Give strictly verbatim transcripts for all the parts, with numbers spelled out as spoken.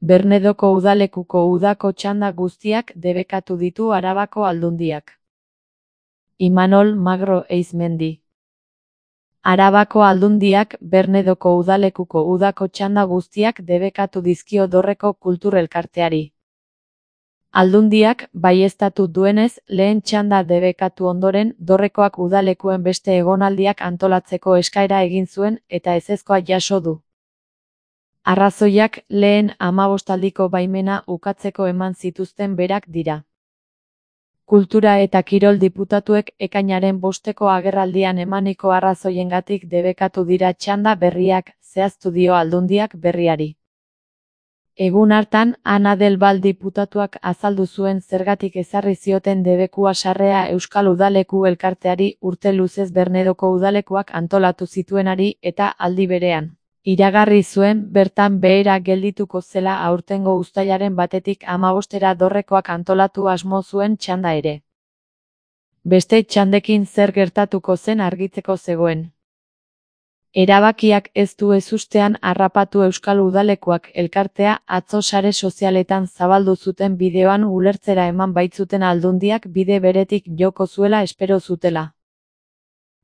Bernedoko udalekuko udako txanda guztiak debekatu ditu Arabako Aldundiak. Imanol Magro Eizmendi. Arabako Aldundiak Bernedoko udalekuko udako txanda guztiak debekatu dizkio Dorreko Kultur Elkarteari. Aldundiak baieztatu duenez, lehen txanda debekatu ondoren, Dorrekoak udalekuen beste egonaldiak antolatzeko eskaera egin zuen eta ezezkoa jaso du. Arrazoiak lehen hamabostaldiko baimena ukatzeko eman zituzten berak dira. Kultura eta Kirol diputatuek ekainaren bosteko agerraldian emaniko arrazoiengatik debekatu dira txanda berriak, zehaztu dio Aldundiak berriari. Egun hartan, Ana del Val diputatuak azaldu zuen zergatik ezarri zioten debekua sarrea Euskal Udaleku Elkarteari urte luzez Bernedoko udalekuak antolatu zituenari eta aldi berean. Iragarri zuen bertan behera geldituko zela aurtengo uztailaren batetik hamabostera Dorrekoak antolatu asmo zuen txanda ere. Beste txandekin zer gertatuko zen argitzeko zegoen. Erabakiak ez du ezustean harrapatu Euskal Udalekuak elkartea atzo sare sozialetan zabaldu zuten bideoan ulertzera eman baitzuten Aldundiak bide beretik joko zuela espero zutela.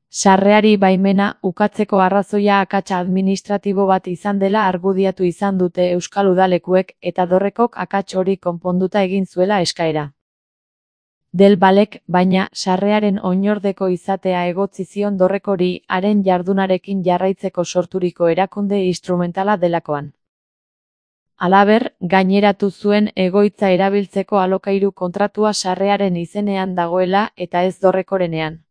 Sarreari baimena ukatzeko arrazoia akatsa administratibo bat izan dela argudiatu izan dute Euskal Udalekuek eta Dorrekok akats hori konponduta egin zuela eskaera. Del Valek, baina, sarrearen oinordeko izatea egotzi zion Dorrekori haren jardunarekin jarraitzeko sorturiko erakunde instrumentala delakoan. Halaber, gaineratu zuen egoitza erabiltzeko alokairu kontratua sarrearen izenean dagoela eta ez Dorrekorenean.